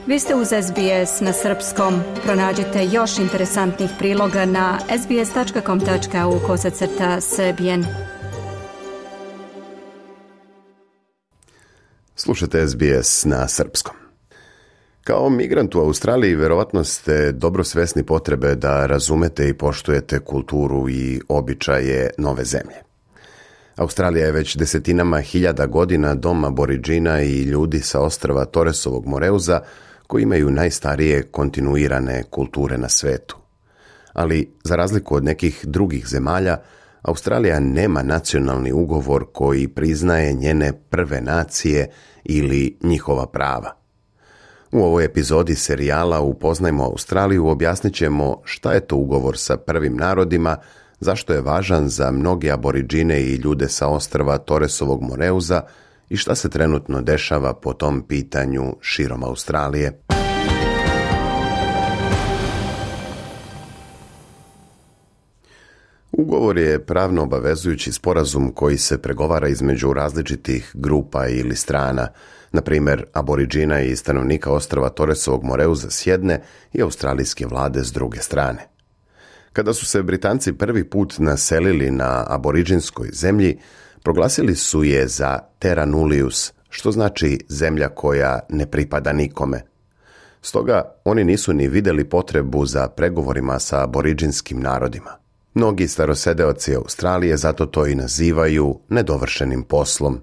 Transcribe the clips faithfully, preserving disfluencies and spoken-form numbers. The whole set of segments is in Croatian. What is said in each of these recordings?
Vi ste uz S B S na srpskom. Pronađite još interesantnih priloga na sbs.com.au kosacrta srbijen. Slušajte S B S na srpskom. Kao migrant u Australiji verovatno ste dobro svesni potrebe da razumete i poštujete kulturu i običaje nove zemlje. Australija je već desetinama hiljada godina dom Aboridžina i ljudi sa ostrva Torresovog Moreuza koji imaju najstarije kontinuirane kulture na svetu. Ali, za razliku od nekih drugih zemalja, Australija nema nacionalni ugovor koji priznaje njene prve nacije ili njihova prava. U ovoj epizodi serijala Upoznajmo Australiju objasnit ćemo šta je to ugovor sa prvim narodima, zašto je važan za mnoge Aboridžine i ljude sa ostrva Torresovog Moreuza i šta se trenutno dešava po tom pitanju širom Australije. Ugovor je pravno obavezujući sporazum koji se pregovara između različitih grupa ili strana, na primjer Aboridžina i stanovnika ostrva Torresovog Moreuza s jedne i australijske vlade s druge strane. Kada su se Britanci prvi put naselili na aboridžinskoj zemlji, proglasili su je za terra nullius, što znači zemlja koja ne pripada nikome. Stoga oni nisu ni vidjeli potrebu za pregovorima sa aboridžinskim narodima. Mnogi starosedeoci Australije zato to i nazivaju nedovršenim poslom.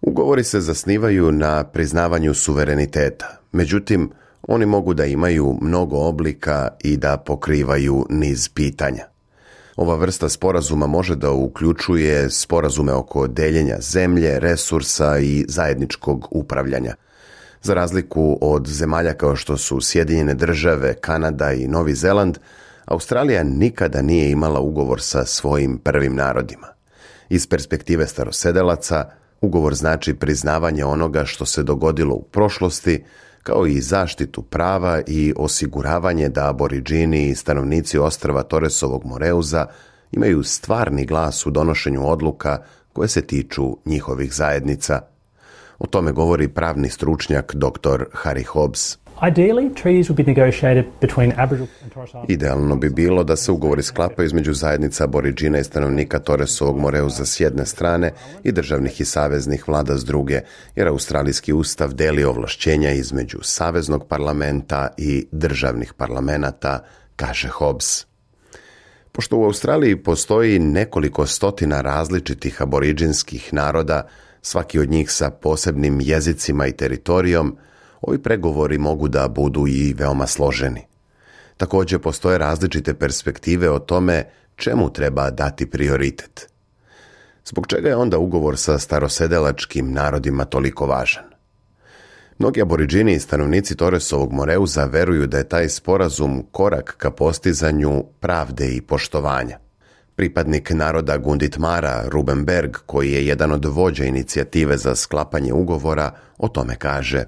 Ugovori se zasnivaju na priznavanju suvereniteta, međutim, oni mogu da imaju mnogo oblika i da pokrivaju niz pitanja. Ova vrsta sporazuma može da uključuje sporazume oko deljenja zemlje, resursa i zajedničkog upravljanja. Za razliku od zemalja kao što su Sjedinjene države, Kanada i Novi Zeland, Australija nikada nije imala ugovor sa svojim prvim narodima. Iz perspektive starosedelaca, ugovor znači priznavanje onoga što se dogodilo u prošlosti, kao i zaštitu prava i osiguravanje da Aboridžini i stanovnici ostrva Torresovog Moreuza imaju stvarni glas u donošenju odluka koje se tiču njihovih zajednica. O tome govori pravni stručnjak doktor Harry Hobbs. Idealno bi bilo da se ugovori sklapaju između zajednica Aboridžina i stanovnika Torresovog Moreuza s jedne strane i državnih i saveznih vlada s druge, jer australijski ustav deli ovlašćenja između saveznog parlamenta i državnih parlamenata, kaže Hobbs. Pošto u Australiji postoji nekoliko stotina različitih aboridžinskih naroda, svaki od njih sa posebnim jezicima i teritorijom, ovi pregovori mogu da budu i veoma složeni. Također postoje različite perspektive o tome čemu treba dati prioritet. Zbog čega je onda ugovor sa starosedelačkim narodima toliko važan? Mnogi Aboridžini i stanovnici Torresovog Moreuza veruju da je taj sporazum korak ka postizanju pravde i poštovanja. Pripadnik naroda Gunditmara, Ruben Berg, koji je jedan od vođa inicijative za sklapanje ugovora, o tome kaže: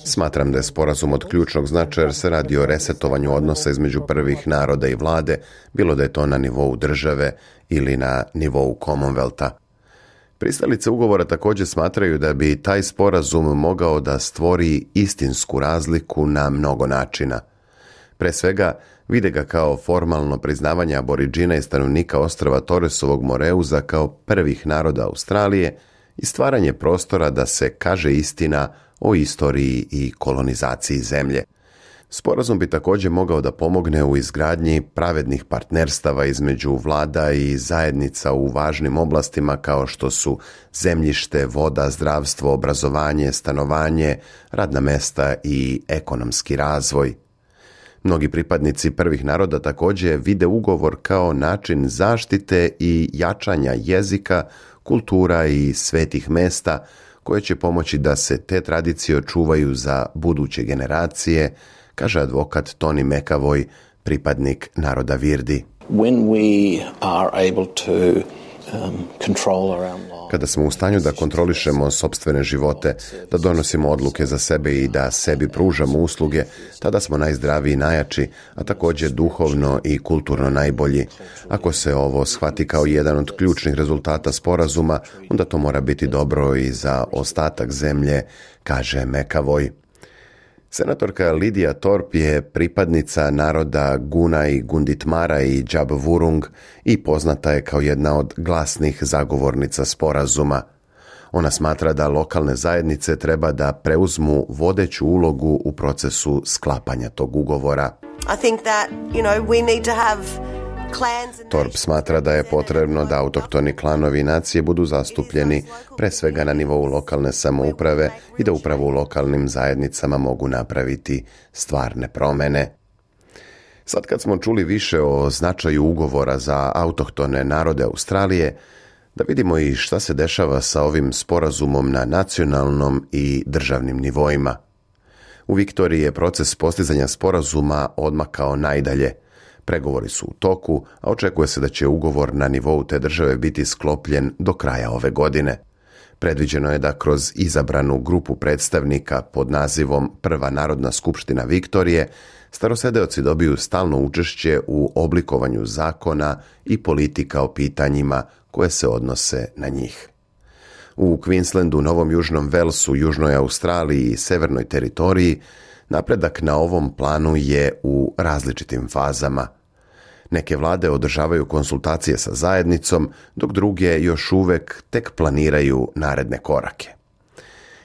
Smatram da je sporazum od ključnog značaja jer se radi o resetovanju odnosa između prvih naroda i vlade, bilo da je to na nivou države ili na nivou Commonwealtha. Pristalice ugovora također smatraju da bi taj sporazum mogao da stvori istinsku razliku na mnogo načina. Pre svega, vide ga kao formalno priznavanje Aboridžina i stanovnika ostrva Torresovog Moreuza kao prvih naroda Australije i stvaranje prostora da se kaže istina o istoriji i kolonizaciji zemlje. Sporazum bi također mogao da pomogne u izgradnji pravednih partnerstava između vlada i zajednica u važnim oblastima kao što su zemljište, voda, zdravstvo, obrazovanje, stanovanje, radna mesta i ekonomski razvoj. Mnogi pripadnici prvih naroda također vide ugovor kao način zaštite i jačanja jezika, kultura i svetih mesta koje će pomoći da se te tradicije očuvaju za buduće generacije, kaže advokat Tony McAvoy, pripadnik naroda Virdi. When we are able to Kada smo u stanju da kontrolišemo sopstvene živote, da donosimo odluke za sebe i da sebi pružamo usluge, tada smo najzdraviji i najjači, a također duhovno i kulturno najbolji. Ako se ovo shvati kao jedan od ključnih rezultata sporazuma, onda to mora biti dobro i za ostatak zemlje, kaže McAvoy. Senatorka Lidija Thorpe je pripadnica naroda Guna i Gunditmara i Džab-Vurung i poznata je kao jedna od glasnih zagovornica sporazuma. Ona smatra da lokalne zajednice treba da preuzmu vodeću ulogu u procesu sklapanja tog ugovora. I think that, you know, we need to have Thorpe smatra da je potrebno da autohtoni klanovi i nacije budu zastupljeni pre svega na nivou lokalne samouprave i da upravo u lokalnim zajednicama mogu napraviti stvarne promene. Sad kad smo čuli više o značaju ugovora za autohtone narode Australije, da vidimo i šta se dešava sa ovim sporazumom na nacionalnom i državnim nivoima. U Viktoriji je proces postizanja sporazuma odmakao najdalje. Pregovori su u toku, a očekuje se da će ugovor na nivou te države biti sklopljen do kraja ove godine. Predviđeno je da kroz izabranu grupu predstavnika pod nazivom Prva narodna skupština Viktorije, starosedeoci dobiju stalno učešće u oblikovanju zakona i politika o pitanjima koje se odnose na njih. U Queenslandu, Novom Južnom Velsu, Južnoj Australiji i Severnoj teritoriji napredak na ovom planu je u različitim fazama. Neke vlade održavaju konsultacije sa zajednicom, dok druge još uvek tek planiraju naredne korake.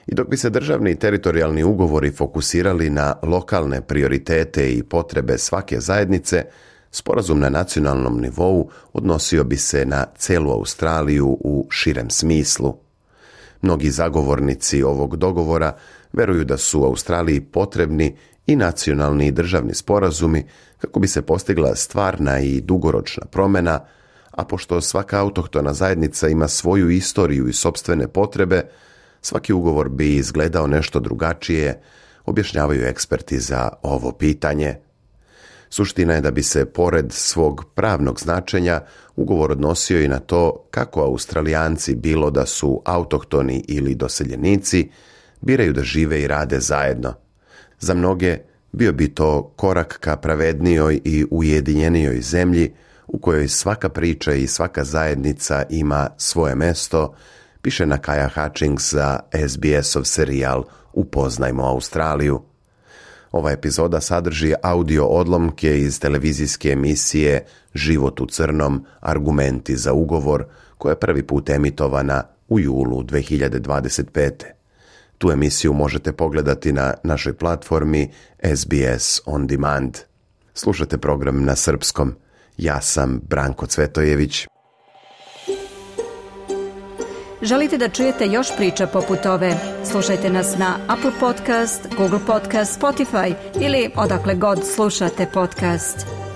I dok bi se državni i teritorijalni ugovori fokusirali na lokalne prioritete i potrebe svake zajednice, sporazum na nacionalnom nivou odnosio bi se na celu Australiju u širem smislu. Mnogi zagovornici ovog dogovora veruju da su Australiji potrebni i nacionalni i državni sporazumi kako bi se postigla stvarna i dugoročna promjena, a pošto svaka autohtona zajednica ima svoju istoriju i sopstvene potrebe, svaki ugovor bi izgledao nešto drugačije, objašnjavaju eksperti za ovo pitanje. Suština je da bi se, pored svog pravnog značenja, ugovor odnosio i na to kako Australijanci, bilo da su autohtoni ili doseljenici, biraju da žive i rade zajedno. Za mnoge bio bi to korak ka pravednijoj i ujedinjenijoj zemlji u kojoj svaka priča i svaka zajednica ima svoje mesto, piše Nakaya Hutchings za S B S-ov serijal Upoznajmo Australiju. Ova epizoda sadrži audio odlomke iz televizijske emisije Život u crnom, argumenti za ugovor, koja je prvi put emitovana u julu dve hiljade dvadeset pete. Tu emisiju možete pogledati na našoj platformi S B S On Demand. Slušate program na srpskom. Ja sam Branko Cvetojević. Želite da čujete još priča poput ove? Slušajte nas na Apple Podcast, Google Podcast, Spotify ili odakle god slušate podcast.